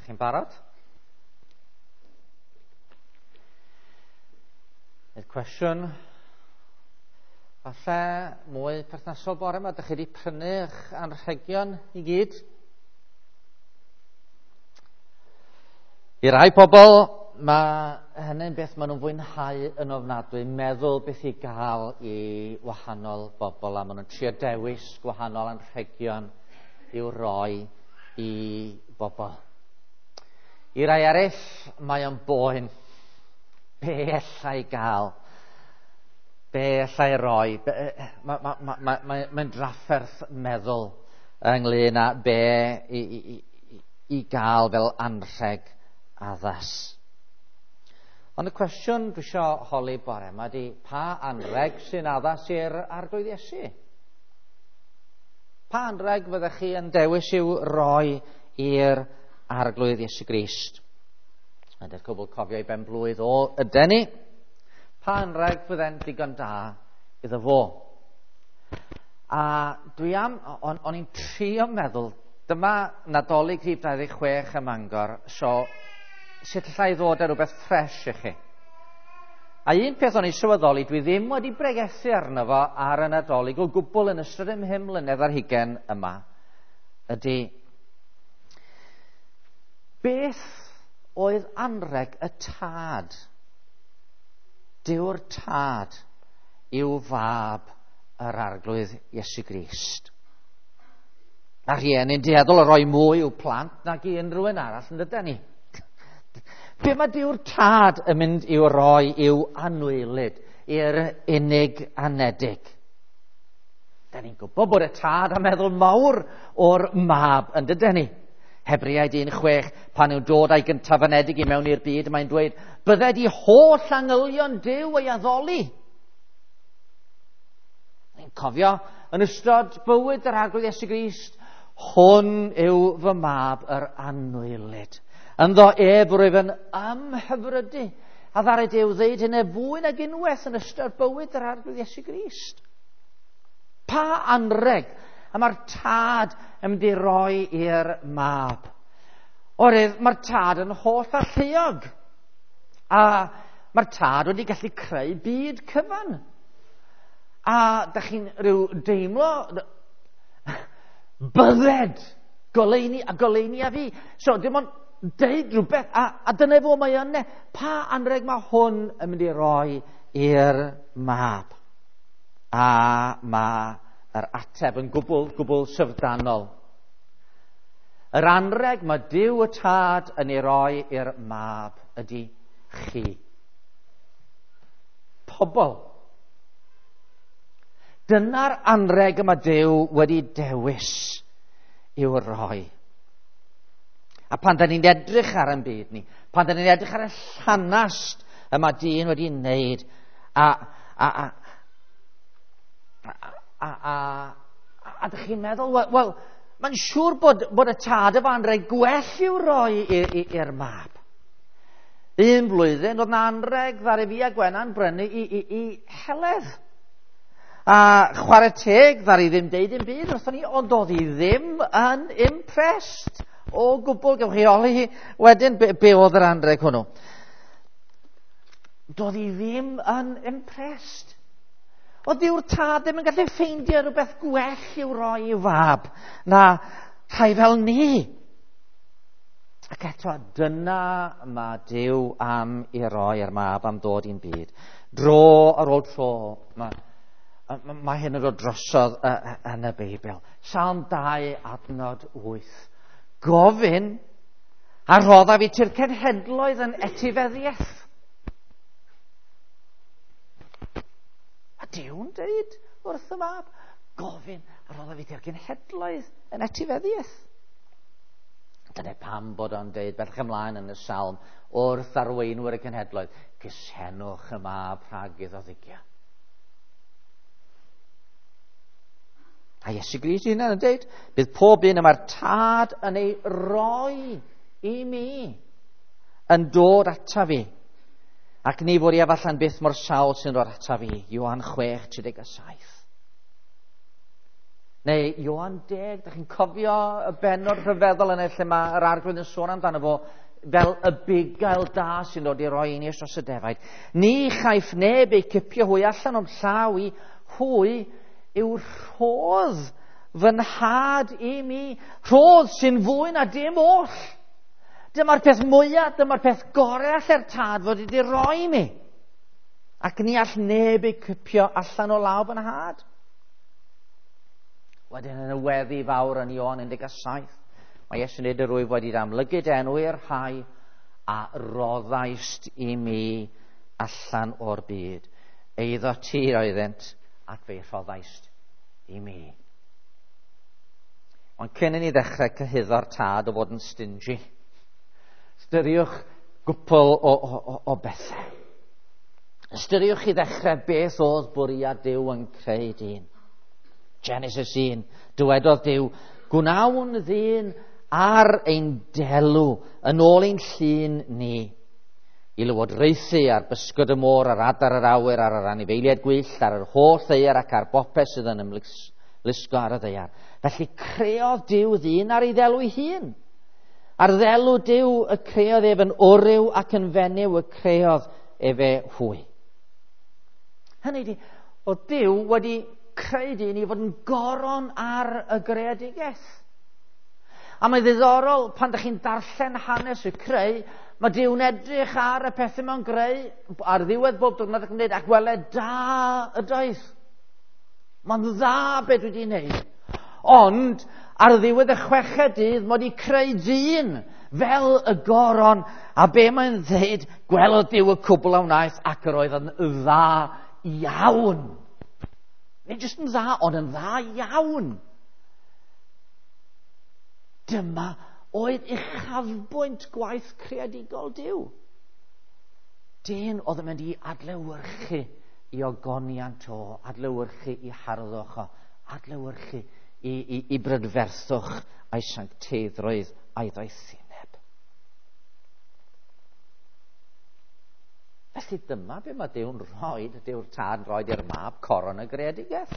Ydych chi'n barod? I'r cwestiwn, falle mwy perthnasol bore yma, ydych chi wedi prynu eich anrhegion i gyd? I rai pobl, mae hynny'n beth maen nhw'n fwynhau yn ofnadwy, meddwl beth i gael i wahanol bobl, a maen nhw'n trio dewis gwahanol anrhegion i'w roi i bobl. I rai eraill, mae o'n boen. Be allai gael? Be allai roi? Mae'n drafferth meddwl ynglyn â be i gael fel anrheg addas. Ond y cwestiwn dwi eisiau holi bore yma ydy, pa anrheg sy'n addas i'r Arglwydd Iesu? Pa anrheg fyddech chi yn dewis i'w roi i'r Arglwydd Iesu Grist? Ydy'r cwbl cofio i ben blwydd o yden ni. Pa anrheg fydde'n digon da iddo fo? A dwi am, o'n i'n trio meddwl, dyma Nadolig rhif 26 ym Mangor, so sut allai ddod â rhywbeth ffres i chi? A un peth o'n i'n sylweddoli, dwi ddim wedi bregethu arno fo ar y Nadolig o gwbl yn ystod y 5 mlynedd ar hugain yma, ydy beth oedd anrheg y tad, Duw'r tad, i'w fab yr Arglwydd Iesu Grist? Mae rhieni'n dueddol o roi mwy i'w plant nag i unrhyw un arall, yn dydyn ni? Be mae Duw'r tad yn mynd i'w roi i'w anwylyd, i'r unig anedig? Da ni'n gwybod bod y tad yn meddwl mawr o'r mab, yn dydyn ni? Hebreaid 1:6, pan yw'n dod â'i gyntaf anedig i mewn i'r byd, mae'n dweud, bydded i holl angylion Duw ei addoli. Ni'n cofio, yn ystod bywyd yr Arglwydd Iesu Grist, hwn yw fy mab yr anwylyd. Ynddo ef rwyf yn ymhyfrydu, a ddaru Duw ddeud hynny fwy nag unwaith yn ystod bywyd yr Arglwydd Iesu Grist. Pa anrheg a mae'r tad yn mynd i roi i'r mab? Oherwydd mae'r tad yn holl alluog. A mae'r tad wedi gallu creu byd cyfan. A da chi'n rhyw deimlo bydded goleuni a goleuni a fi. So dim ond deud rhywbeth, a dyna fo mae yna. Pa anrheg mae hwn yn mynd i roi i'r mab? A mae yr ateb yn gwbl, gwbl syfrdanol. Yr anrheg mae Duw y tad yn ei roi i'r mab ydy chi. Pobl. Dyna'r anrheg y mae Duw wedi dewis i'w roi. A pan da ni'n edrych ar ein byd ni, pan da ni'n edrych ar y llanast y mae dyn wedi wneud, a dych chi'n meddwl, wel, mae'n siŵr bod y tad efo anrheg gwell i'w roi i'r mab. Un blwyddyn, oedd na anrheg ddaru fi a Gwennan brynu i Heledd. A chwarae teg, ddaru ddim deud dim byd wrthon ni, ond oedd hi ddim yn impressed o gwbl. Gewch chi holi hi wedyn be oedd yr anrheg hwnnw. Doedd hi ddim yn impressed. Oedd Duw'r tad ddim yn gallu ffeindio rhywbeth gwell i'w roi i'w fab na rhai fel ni. Ac eto, dyna mae Duw am i roi i'r mab am ddod i'n byd. Dro ar ôl tro, mae hyn yn dod drosodd yn y Beibl. Salm 2 adnod 8. Gofyn a roddaf i ti'r cenhedloedd yn etifeddiaeth. A Duw'n dweud wrth y mab, gofyn a roddaf i ti'r cenhedloedd yn etifeddiaeth. Dyna pam bod o'n dweud bellach ymlaen yn y salm wrth arweinwyr y cenhedloedd, cysenwch y mab rhag iddo ddigio. A Iesu Grist ei hunan yn dweud, bydd pob un y mae'r tad yn ei roi i mi yn dod ata fi. Ac ni fod i allan byth mor sawl sy'n dod ata fi. Ioan 6:37. Neu Ioan 10, da chi'n cofio y bennod rhyfeddol yna lle mae yr Arglwydd yn sôn amdano fo fel y bugail da sy'n dod i roi einioes dros y defaid. Ni chaiff neb eu cipio hwy allan o'm llaw i, hwy yw rhodd fy nhad i mi, rhodd sy'n fwy na dim oll. Dyma'r peth mwyaf, dyma'r peth gorau allai'r tad fod wedi roi i mi. Ac ni all neb eu cipio allan o law fy nhad. Wedyn yn y weddi fawr yn Ioan 17, mae Iesu'n dweud, yr wyf wedi amlygu dy enw i'r rhai a roddaist i mi allan o'r byd. Eiddo ti oeddynt ac fe'i rhoddaist i mi. Ond cyn i ni ddechrau cyhuddo'r tad o fod yn stingy, ystyriwch gwpl o bethau. Ystyriwch i ddechrau beth oedd bwriad Duw yn creu dyn. Genesis 1, dywedodd Duw, gwnawn ddyn ar ein delw yn ôl ein llun ni, i lywodraethu ar bysgod y môr, ar adar yr awyr, ar yr anifeiliaid gwyllt, ar yr holl ddaear ac ar bopeth sydd yn ymlusgo ar y ddaear. Felly creodd Duw ddyn ar ei ddelw ei hun. Ar ddelw Duw y creodd ef, yn wryw ac yn fenyw y creodd efe hwy. Hynny ydi, oedd Duw wedi creu dyn i fod yn goron ar y greadigaeth. A mae ddiddorol pan ydych chi'n darllen hanes y creu, mae Duw'n edrych ar y pethau mewn greu ar ddiwedd bob diwrnod ac yn dweud, ac wele da ydoedd. Mae'n dda beth dwi wedi wneud. Ond ar ddiwedd y chweched dydd, mae wedi creu dyn fel y goron, a be mae'n dweud, gwelodd Duw y cwbl a wnaeth, ac yr oedd yn dda iawn. Nid jyst yn dda, ond yn dda iawn. Dyma oedd uchafbwynt gwaith creadigol Duw. Dyn oedd yn mynd i adlewyrchu i ogoniant o, adlewyrchu i harddwch o, adlewyrchu i brydferthwch a'i sancteiddrwydd a'i ddoethineb. Felly dyma be mae Duw'n rhoi, Duw'r Tad yn rhoi i'r mab, coron y greadigaeth.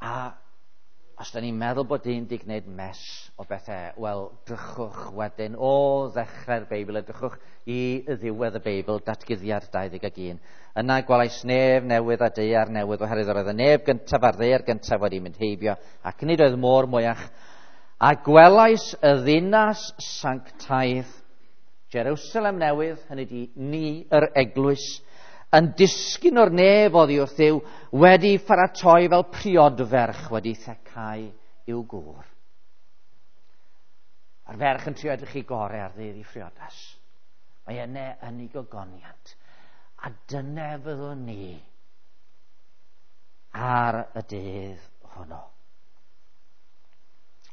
A os da ni'n meddwl bod dyn di gwneud mess o bethau, wel, drychwch wedyn o ddechrau'r Beibl, a drychwch i ddiwedd y Beibl, Datguddiad 21. Yna gwelais nef newydd a daear newydd, oherwydd yr oedd y nef gyntaf a'r ddaear gyntaf wedi mynd heibio, ac nid oedd môr mwyach. A gwelais y ddinas sanctaidd, Jerusalem newydd, hynny di ni, yr eglwys, yn disgyn o'r nef oddi wrth Dduw, wedi pharatoi fel priodferch wedi thecau i'w gŵr. A'r ferch yn trio edrych i gorau ar ddydd i phriodas. Mae yna yn ei gogoniant. A dyna fyddwn ni ar y dydd hwnnw.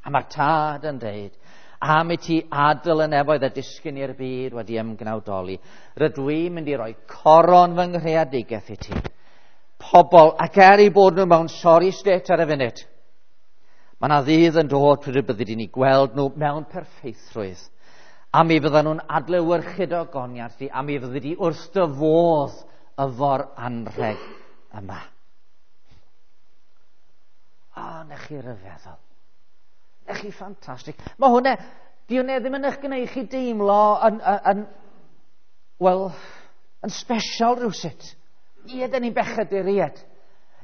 A mae'r tad yn dweud, am i ti adael y nefoedd a disgyn i'r byd wedi ymgnawdoli, rydw i'n mynd i roi coron fy nghreadigaeth i ti. Pobl, ac er eu bod nhw mewn sorry state ar y funud, mae yna ddydd yn dod pryd y byddi di'n eu gweld nhw mewn perffeithrwydd. A mi fyddan nhw'n adlewyrchu dy ogoniant di, a mi fyddi di wrth dy fodd efo'r anrheg yma. O, na chi ryfeddol. Na chi ffantastig. Mae hwnna, di hwnna ddim yn eich gwneud chi deimlo yn special rhywsut. Ie, da ni'n bechaduriaid.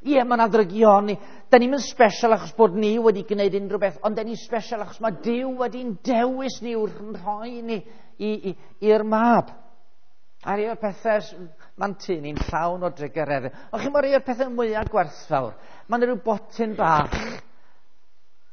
Ie, mae yna ddrygioni. Da ni'n special achos bod ni wedi gwneud unrhyw beth, ond da ni'n special achos mae Duw wedi'n dewis ni wrth rhoi ni i'r mab. A rhai o'r pethau, mae'n tŷ ni'n llawn o drugareddau. Ond chi'n rhai o'r pethau mwyaf gwerthfawr. Mae'n rhyw botyn bach.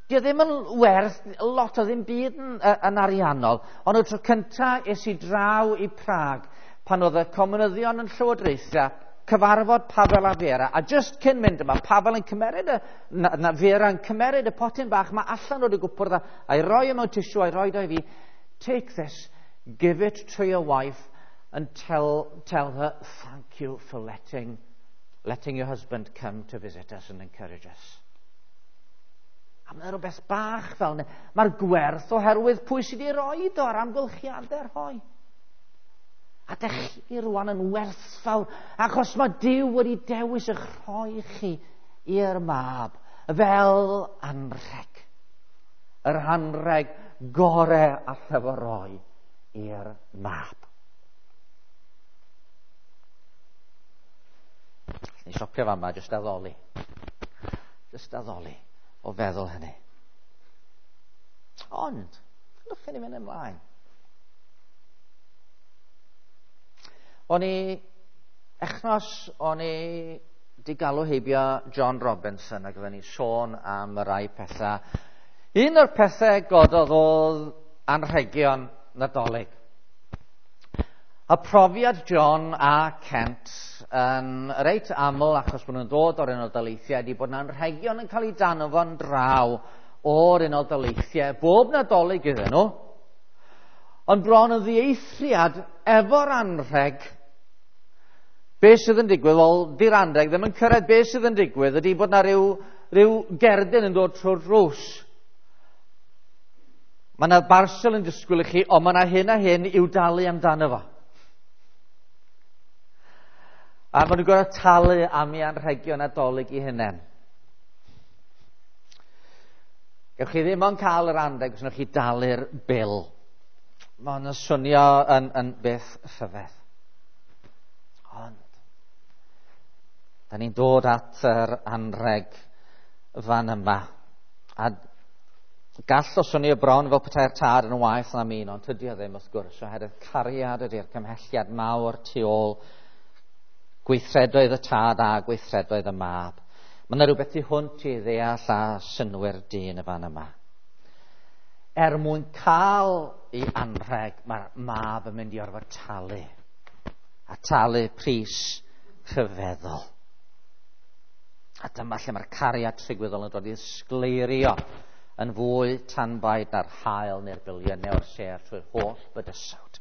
Di o ddim yn werth lot o ddim byd yn ariannol. Ond y tro cyntaf es i draw i Prag, pan oedd y comunyddion yn llywodraethu, cyfarfod Pavel a Vera, a just cyn mynd yma, Pavel yn cymeryd y, na Vera yn cymeryd y potyn bach, mae allan o'r gwpwrdd a'i roi e mewn tissue, a'i roi o i fi. Take this, give it to your wife, and tell her thank you for letting your husband come to visit us and encourage us. A mae'n rhywbeth bach fel yna. Mae'r gwerth oherwydd pwy sydd wedi roi o a'r amgylchiadau rhoi. A dych chi rwan yn werthfawr, achos mae Duw wedi dewis eich rhoi chi i'r mab fel anrheg. Yr anrheg gore allai fo roi i'r mab. Ni stopio fama, jyst addoli. Jyst addoli o feddwl hynny. Ond, gadewch i ni fynd ymlaen. O'n i, echnos, o'n i di galw heibio John Robinson ac oedden ni sôn am y rai pethau. Un o'r pethau gododd oedd anrhegion Nadolig. A profiad John a Kent yn reit aml, achos bod nhw'n dod o'r Unol Daleithiau, ydy bod yna anrhegion yn cael eu danfon draw o'r Unol Daleithiau bob Nadolig iddyn nhw. Ond bron yn ddieithriad efo'r anrheg, be sydd yn digwydd? Wel, di'r anrheg ddim yn cyrraedd. Be sydd yn digwydd ydy bod yna rhyw gerdyn yn dod trwy'r drws. Mae yna barsel yn disgwyl i chi, ond mae yna hyn a hyn i'w dalu amdano fo. A maen nhw'n gorfod talu am eu anrhegion Nadolig i hunain. Gewch chi ddim ond cael yr anrheg os wnewch chi dalu'r bil. Mae hwn yn swnio yn beth rhyfedd. Ond, da ni'n dod at yr anrheg fan yma. A gall o swnio bron fel petai'r tad yn waeth na min, ond tydi o ddim wrth gwrs, oherwydd cariad ydy'r cymhelliad mawr tu ôl gweithredoedd y tad a gweithredoedd y mab. Mae yna rhywbeth tu hwnt i ddeall a synnwyr dyn y fan yma. Er mwyn cael ei anrheg, mae'r mab yn mynd i orfod talu. A talu pris rhyfeddol. A dyma lle mae'r cariad trigwyddol yn dod i ysgleirio yn fwy tanbaid na'r haul neu'r biliynau o'r sêr trwy'r holl bydysawd.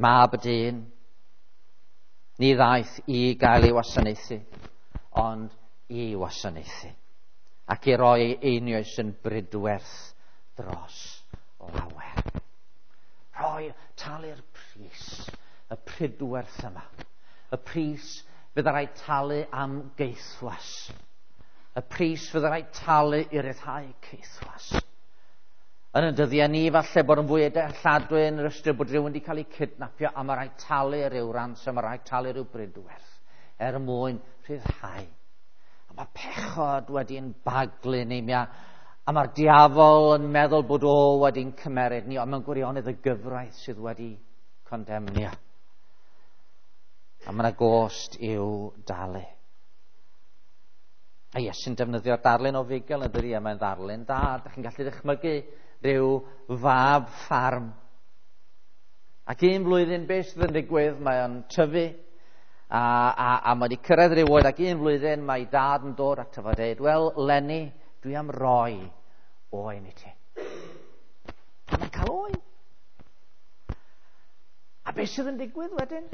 Mab y dyn, ni ddaeth i gael ei wasanaethu, ond i wasanaethu, ac i roi ei einioes yn brydwerth dros lawer. Rhoi, talu'r pris, y pridwerth yma. Y pris fydd rhaid talu am geithwas. Y pris fydd rhaid talu i ryddhau caethwas. Yn y dyddiau ni, falle bod yn fwy dealladwy yn yr ystyr bod rhywun wedi cael ei kidnapio a mae rhaid talu rhyw ransom, mae rhaid talu rhyw bridwerth er mwyn rhyddhau. A mae pechod wedi'n baglu ni, a mae'r diafol yn meddwl bod o wedi'n cymeryd ni, ond mewn gwirionedd y gyfraith sydd wedi condemnio. A mae yna gost i'w dalu. A Iesu'n defnyddio'r darlun o fugel yn dydi, a mae'n ddarlun da. Dych chi'n gallu dychmygu rhyw fab ffarm. Ac un flwyddyn, beth sydd yn digwydd, mae o'n tyfu, a mae wedi cyrraedd rhyw oed, ac un flwyddyn mae dad yn dod ato fo a dweud, wel, Lenny, dwi am roi oen i ti. A mae'n cael oen. A beth sydd yn digwydd wedyn?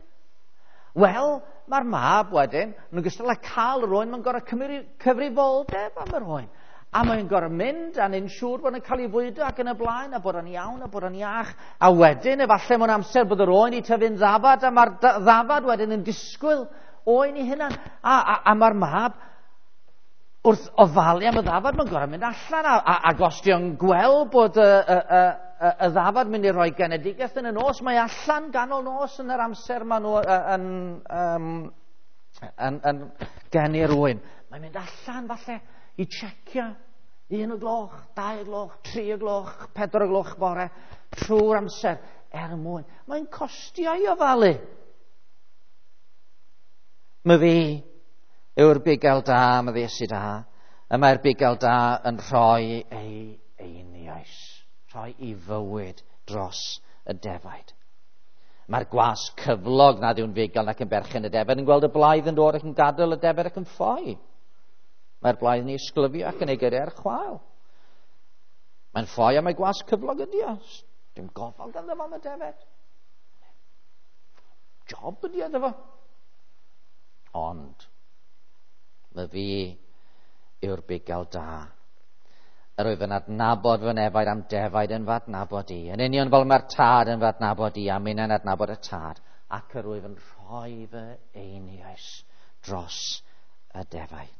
Wel, mae'r mab wedyn, yn ogystal â cael yr oen, mae'n gorfod cymryd cyfrifoldeb am yr oen. A mae'n gorfod mynd a'n yn siŵr bod yn cael ei fwydo ac yn y blaen, a bod o'n iawn, a bod o'n iach. A wedyn, efallai mewn amser bod yr oen i tyfu'n ddafad, a mae'r ddafad wedyn yn disgwyl oen i hunan. A mae'r mab, wrth ofalu am y ddafad, mae'n gorfod mynd allan, ac os di o'n gweld bod y ddafad mynd i roi genedigaeth yn y nos, mae allan ganol nos yn yr amser maen nhw yn geni'r oen. Mae'n mynd allan falle i checio 1 o gloch, 2 o gloch, 3 o gloch, 4 o gloch bore, trwy'r amser er mwyn. Mae'n costio i ofalu. Mae fi yw'r bugail da, mae fi Iesu da, y mae'r bugail da yn rhoi ei einioes, rhoi ei fywyd dros y defaid. Mae'r gwas cyflog nad yw'n fugail nac yn berchen y defaid yn gweld y blaidd yn dod ac yn gadael y defaid ac yn ffoi. Mae'r blaidd yn ei ysglyfio ac yn ei gyrru ar chwâl. Mae'n ffoi a mae gwas cyflog ydi o. Dim gofal ganddo fo am y defaid. Job ydi o iddo fo. Ond mae fi yw'r bugail da. Yr wyf yn adnabod fy nefaid am defaid yn fy adnabod i. Yn union fel mae'r tad yn fy adnabod i, a minnau'n adnabod y tad. Ac yr wyf yn rhoi fy einioes dros y defaid.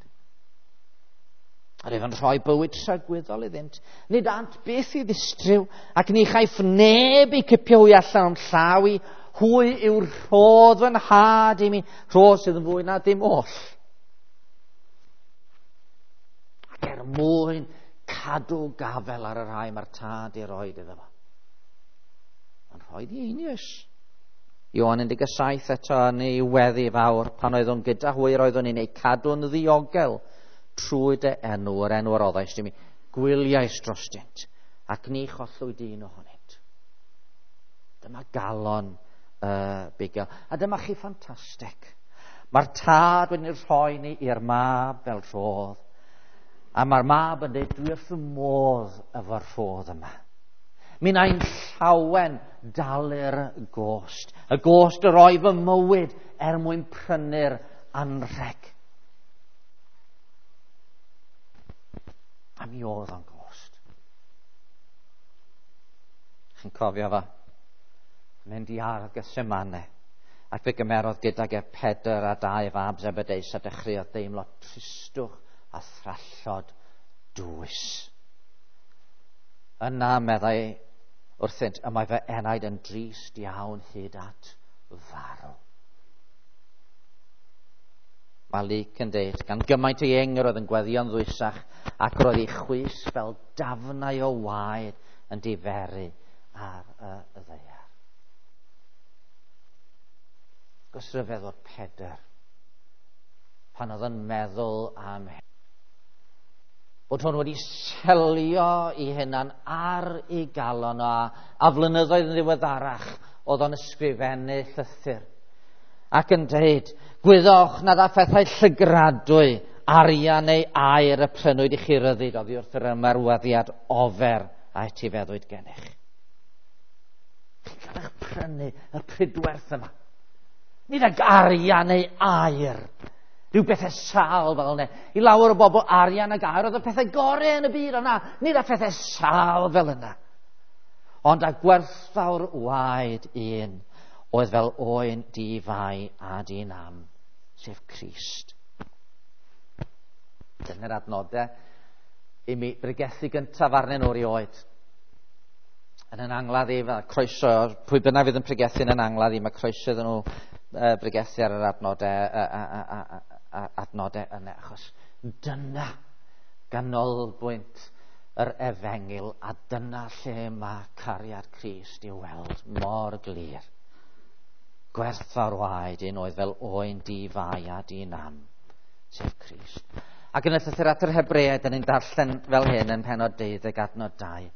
Yr oedd yn rhoi bywyd tragwyddol iddynt. Nid ant byth i ddistryw, ac ni chaiff neb i cipio hwy allan o'm llaw i. Hwy yw'r rhodd fy nhad i mi, rhodd sydd yn fwy na dim oll. Ac er mwyn cadw gafel ar y rhai mae'r tad i roed iddo fo. Mae'n rhoi i einioes. Ioan 17 eto yn ei weddi fawr, pan oeddwn gyda hwy roeddwn i'n eu cadw'n ddiogel trwy dy enw, yr enw a roddaist i mi, gwyliais drostynt, ac ni chollwyd un ohonynt. Dyma galon y bugail. A dyma chi ffantastig. Mae'r tad wedi rhoi ni i'r mab fel rhodd. A mae'r mab yn dweud, dwi wrth fy modd efo'r rhodd yma. Mi wna i'n llawen dalu'r gost. Y gost o roi fy mywyd er mwyn prynu'r anrheg. A mi oedd o'n gost. Chi'n cofio fo? Mynd i ardd Gethsemane. Ac fe gymerodd gydag e Pedr a dau fab Zebedeus a dechreuodd deimlo tristwch a thrallod dwys. Yna, meddai wrthynt, y mae fy enaid yn drist iawn hyd at farw. Mae Luc yn deud, gan gymaint ei eng yr oedd yn gweddio'n ddwysach, ac roedd ei chwys fel dafnau o waed yn diferu ar y ddaear. Gos rhyfedd o'r Pedr, pan oedd yn meddwl am hyn, bod hwn wedi selio ei hunan ar ei galon a flynyddoedd yn ddiweddarach oedd o'n ysgrifennu llythyr ac yn dweud, gwyddoch na dda phethau llygradwy, arian neu aur y prynwyd i chi ryddid oddi wrth yr ymarweddiad ofer a etifeddwyd gennych. Chi'n cael eich prynu y pridwerth yma. Nid ag arian neu aur. Rhyw bethau sal fel yna. I lawer o bobl arian ag aur oedd y pethau gorau yn y byd o'na. Nid â phethau sal fel yna. Ond â gwerthfawr waed un oedd fel oen di-fai a di-nam, sef Crist. Dyna'r adnodau i mi bregethu gyntaf arnyn nhw erioed. Yn yn angladd i, fel croeso, pwy bynnag fydd yn pregethu yn yn angladd i, mae croeso iddyn nhw bregethu ar yr adnodau, adnodau yna, achos dyna ganolbwynt yr efengyl, a dyna lle mae cariad Crist i'w weld mor glir. Gwerthfawr waed un oedd fel oen di-fai a di-nam, sef Crist. Ac yn y llythyr at yr Hebreaid, dyn ni'n darllen fel hyn yn pennod 12 adnod 2.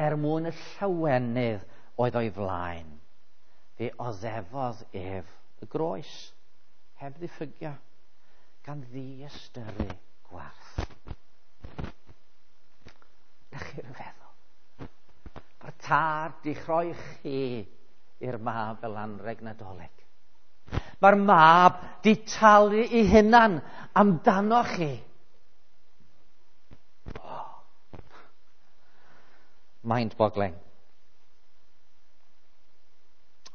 Er mwyn y llawenydd oedd o'i flaen, fe oddefodd ef y groes, heb ddiffygio, gan ddiystyru gwarth. Na chi ryfeddol. Mae'r tad di chroi chi i'r mab fel anrheg Nadolig. Mae'r mab di talu ei hunan amdano chi. Oh. Mind-boggling.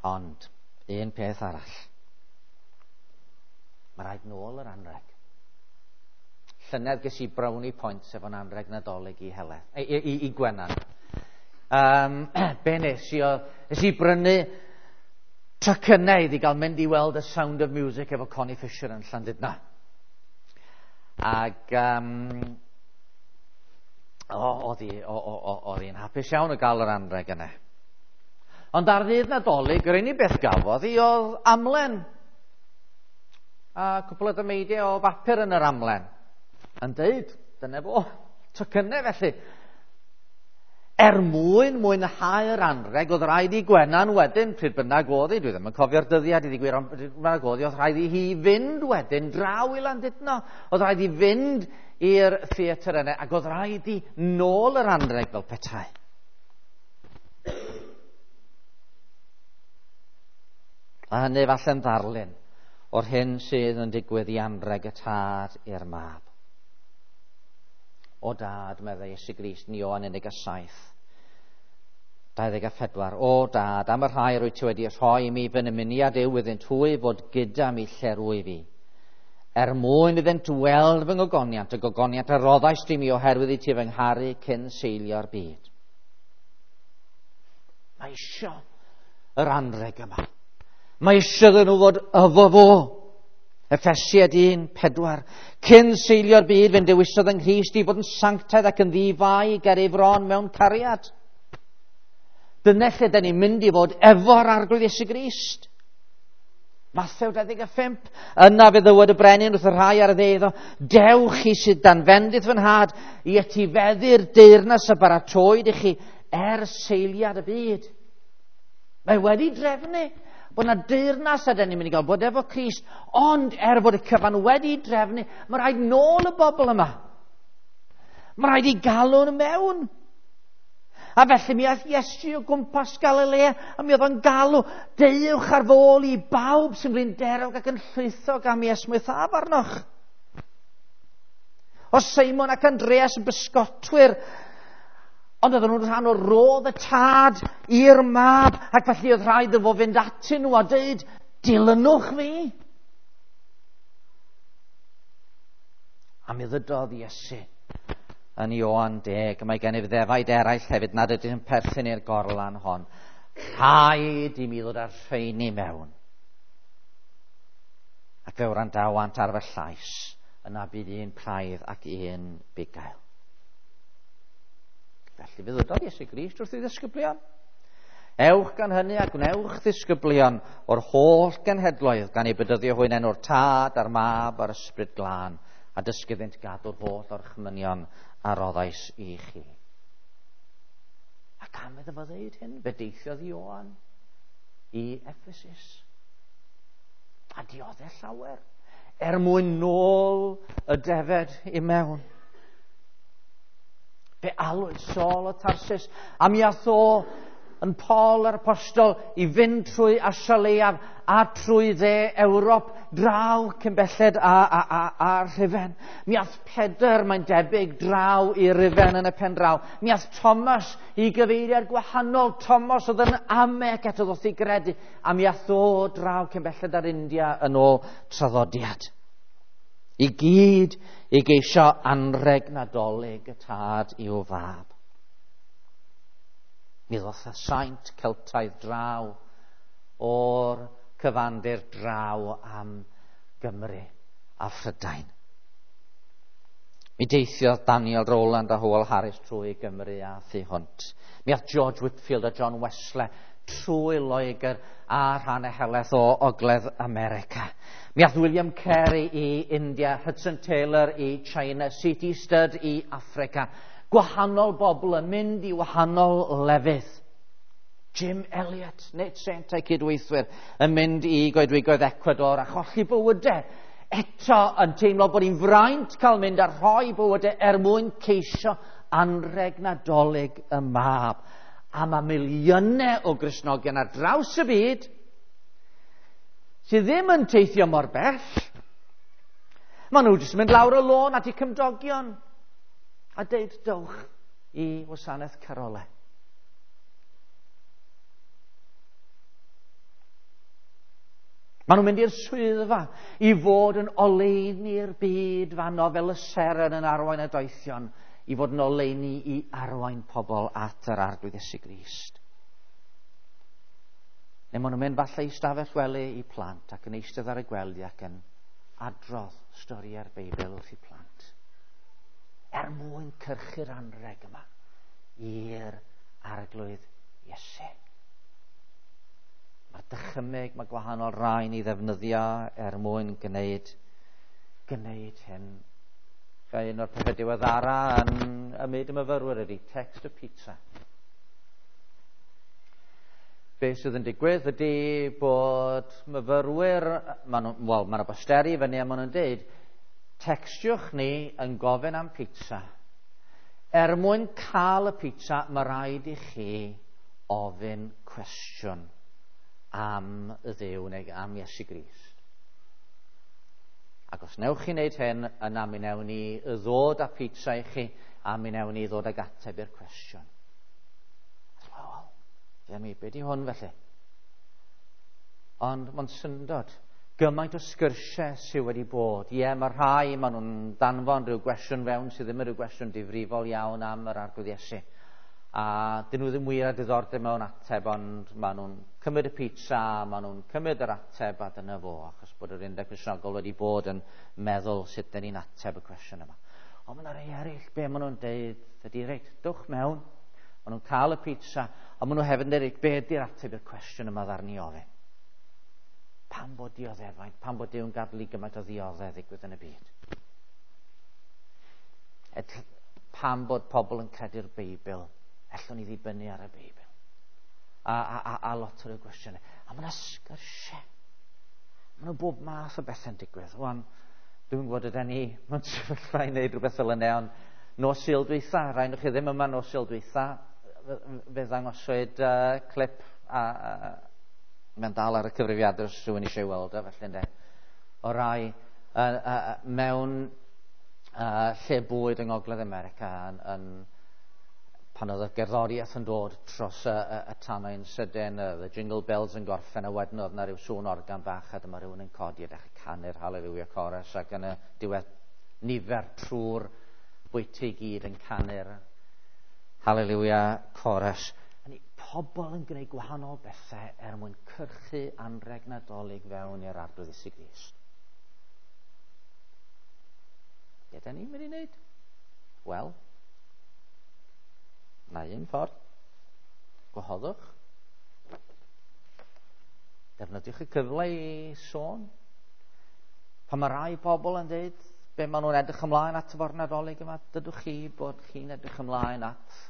Ond, un peth arall. Mae rhaid nôl yr anrheg. Llynedd ges i brownie points efo'n anrheg Nadolig i Heledd, i Gwenan. Be nes i oedd, nes i brynu tocynnau iddi gael mynd i weld y Sound of Music efo Connie Fisher yn Llandudno. Ac oedd hi'n hapus iawn o gael yr anrheg yna. Ond ar ddydd Nadolig, yr unig beth gafodd hi oedd amlen. A cwpl o dameidiau o bapur yn yr amlen. Yn deud, dyna fo, tocynnau felly. Er mwyn mwynhau'r anrheg, oedd rhaid i Gwenan wedyn, pryd bynnag oedd hi, dwi ddim yn cofio'r dyddiad i ddigwydd, ond pryd bynnag oedd hi, oedd rhaid i hi fynd wedyn draw i Landudno. Oedd rhaid i fynd i'r theatr yna, ac oedd rhaid i nôl yr anrheg fel petai. A hynny falle'n ddarlun o'r hyn sydd yn digwydd i anrheg y tad i'r mab. O dad, meddai Iesu Grist yn Ioan 17, 24. O dad, am y rhai rwyt ti wedi rhoi i mi fy nymuniad yw iddynt hwy fod gyda mi lle rwyf fi, Er mwyn iddynt weld fy ngogoniant, y gogoniant a roddais di mi oherwydd i ti fy ngharu cyn seilio'r byd. Mae isio yr anreg yma. Mae isio iddyn nhw fod efo fo. Effesiaid 1:4. Cyn seilio'r byd, fe'n dewisodd yng Nghrist i fod yn sanctaidd ac yn ddi-fai ger ei fron mewn cariad. Dyna lle da ni'n mynd i fod efo'r Arglwydd Iesu Grist. Mathew 25. Yna fe ddywed y brenin wrth y rhai ar y dde iddo, dewch chi sydd dan fendith fy nhad i etifeddu'r deyrnas a baratoed i chi er seiliad y byd. Mae wedi drefnu bod yna deyrnas a dyn ni'n mynd i gael bod efo Crist, ond er bod y cyfan wedi drefnu, mae rhaid nôl y bobl yma. Mae rhaid i galw nhw mewn. A felly mi aeth Iesu o gwmpas Galilea, a mi oedd o'n galw, deuwch ar fôl i bawb sy'n flinderog ac yn llwythog am i esmwythaf arnoch. O Seimon ac Andreas yn bysgotwyr, ond oedden nhw'n rhan o rodd y tad i'r mab, ac felly oedd rhaid iddo fo fynd atyn nhw a dweud, dilynwch fi. A mi ddydodd Iesu yn Ioan 10, mae gennyf ddefaid eraill hefyd nad ydyn yn perthyn i'r gorlan hon. Rhaid i mi ddod â'r rheini mewn. Ac fe wrandawant ar fy llais, yna bydd un praidd ac un bugail. Felly fe ddydodd Iesu Grist wrth ei ddisgyblion. Ewch gan hynny a gwnewch ddisgyblion o'r holl genhedloedd, gan eu bedyddio hwy'n enw'r Tad a'r Mab a'r Ysbryd Glân, a dysgu iddynt gadw'r holl orchmynion a roddais i chi. A am iddo fo ddeud hyn, fe deithiodd Ioan i Ephesus. A dioddef llawer, er mwyn nôl y defed i mewn. Fe alwyd Saul o Tarsus, a mi ath o yn Paul yr Apostol i fynd trwy Asia Leiaf a trwy dde Ewrop draw cyn belled a Rhufain. Mi ath Pedr, mae'n debyg, draw i Rufain yn y pen draw. Mi ath Thomas i gyfeiriad gwahanol. Thomas oedd yn ame ac eto ddoth i gredu. A mi ath o draw cyn belled ar India yn ôl traddodiad. I gyd i geisio anrheg Nadolig y tad i'w fab. Mi ddoth y saint Celtaidd draw o'r cyfandir draw am Gymru a Phrydain. Mi deithiodd Daniel Rowland a Howell Harris trwy Gymru a thu hwnt. Mi ath George Whitefield a John Wesley trwy Loegr a rhannau helaeth o Ogledd America. Mi ath William Carey i India, Hudson Taylor i China, C.T. Studd i Affrica. Gwahanol bobl yn mynd i wahanol lefydd. Jim Elliot, Nate Saint a'i cydweithwyr, yn mynd i goedwigoedd Ecuador a cholli bywydau. Eto yn teimlo bod hi'n fraint cael mynd a rhoi bywydau er mwyn ceisio anrheg Nadolig y mab. A mae miliynau o Gristnogion ar draws y byd sydd ddim yn teithio mor bell. Maen nhw jyst yn mynd lawr y lôn at eu cymdogion a deud dowch i wasanaeth carolau. Maen nhw'n mynd i'r swyddfa i fod yn oleuni'r byd fanno fel y seren yn arwain y doethion, i fod yn oleuni i arwain pobl at yr Arglwydd Iesu Grist. Neu maen nhw'n mynd falle i stafell wely i plant ac yn eistedd ar y gwely ac yn adrodd storiau'r Beibl wrth i plant. Er mwyn cyrchu'r anrheg yma i'r Arglwydd Iesu. Mae'r dychymyg, mae gwahanol rhain i ddefnyddio er mwyn gwneud hyn. Un o'r pethau diweddara yn ymwneud y myfyrwyr ydy text y pizza. Be sydd yn digwydd ydy bod myfyrwyr, maen nhw bosteri fyny a maen nhw'n deud, textiwch ni yn gofyn am pizza. Er mwyn cael y pizza, mae rhaid i chi ofyn cwestiwn am y Dduw neu am Iesu Grist. Ac os newch chi wneud hyn, yna mi wnewn ni ddod â pizza i chi, a mi wnewn ni ddod ag ateb i'r cwestiwn. Wel, mi, be di hwn felly? Ond mae'n syndod. Gymaint o sgyrsiau sydd wedi bod. Ie, mae rhai, maen nhw'n danfon rhyw gwestiwn fewn sydd ddim yn rhyw gwestiwn difrifol iawn am yr Arglwydd Iesu. A dyn nhw ddim wir â diddordeb mewn ateb, ond maen nhw'n cymryd y pizza, maen nhw'n cymryd yr ateb a dyna fo, achos bod yr Undeb Cristnogol wedi bod yn meddwl sut dyn ni'n ateb y cwestiwn yma. Ond mae yna rei eraill, be maen nhw'n deud ydy, reit, dwch mewn, maen nhw'n cael y pizza, a maen nhw hefyd yn dweud, be ydy'r ateb i'r cwestiwn yma ddaru ni ofyn? Pam bod dioddefaint? Pam bod Duw'n gadael i gymaint o ddioddef ddigwydd yn y byd? Pam bod pobl yn credu'r Beibl? Ellwn ni ddibynnu ar y Beibl? A lot o'r gwestiynau. A mae yna sgyrsiau. Mae yna bob math o bethau'n digwydd. Wan, dwi'n gwybod ydyn ni mewn sefyllfa i wneud rhywbeth fel yna, ond nos Sul dwytha, rhai o'ch chi ddim yma nos Sul dwytha, fe ddangoswyd clip a mae'n dal ar y cyfrifiadur os rhywun eisiau weld o, felly ynde. O rai mewn lle bwyd yng Ngogledd America yn pan oedd y gerddoriaeth yn dod dros y tannoi'n sydyn, the jingle bells yn gorffen, a wedyn oedd yna rhyw sŵn organ bach, a dyma rhywun yn codi a dechrau canu'r Hallelujah Chorus, ac yn y diwedd nifer trwy'r bwyty i gyd yn canu'r Hallelujah Chorus. A ni pobl yn gwneud gwahanol bethau er mwyn cyrchu anrheg Nadolig fewn i'r Arglwydd Iesu Grist. Be da ni'n mynd i wneud? Wel, na un ffordd. Gwahoddwch. Defnyddiwch y cyfle i sôn. Pan mae rai pobl yn dweud be maen nhw'n edrych ymlaen at efo'r Nadolig yma, dydwch chi bod chi'n edrych ymlaen at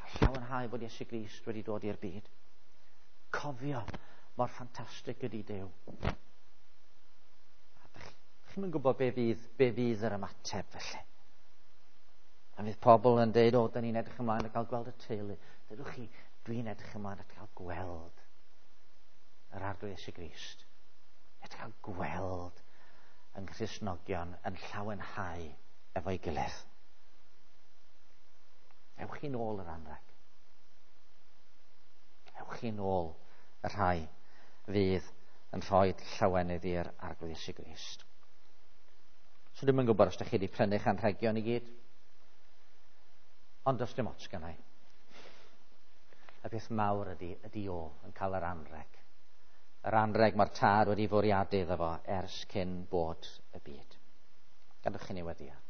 cael llawenhau bod Iesu Grist wedi dod i'r byd. Cofio mor ffantastig ydy Duw. A chi'm yn gwybod be fydd yr ymateb felly. A fydd pobl yn dweud, o, da ni'n edrych ymlaen at cael gweld y teulu. Dydwch chi, dwi'n edrych ymlaen at cael gweld yr Arglwydd Iesu Grist. At cael gweld yng Nghristnogion yn llawenhau efo'i gilydd. Ewch chi nôl yr anrheg. Ewch chi nôl y rhai fydd yn rhoi llawenydd i'r Arglwydd Iesu Grist. So dwi'm yn gwybod os ydych chi wedi prynu'ch anrhegion i gyd. Ond does dim ots gennai. Y peth mawr ydy o yn cael yr anrheg. Yr anrheg mae'r Tad wedi fwriadu iddo fo ers cyn bod y byd. Gadwch chi ni weddio.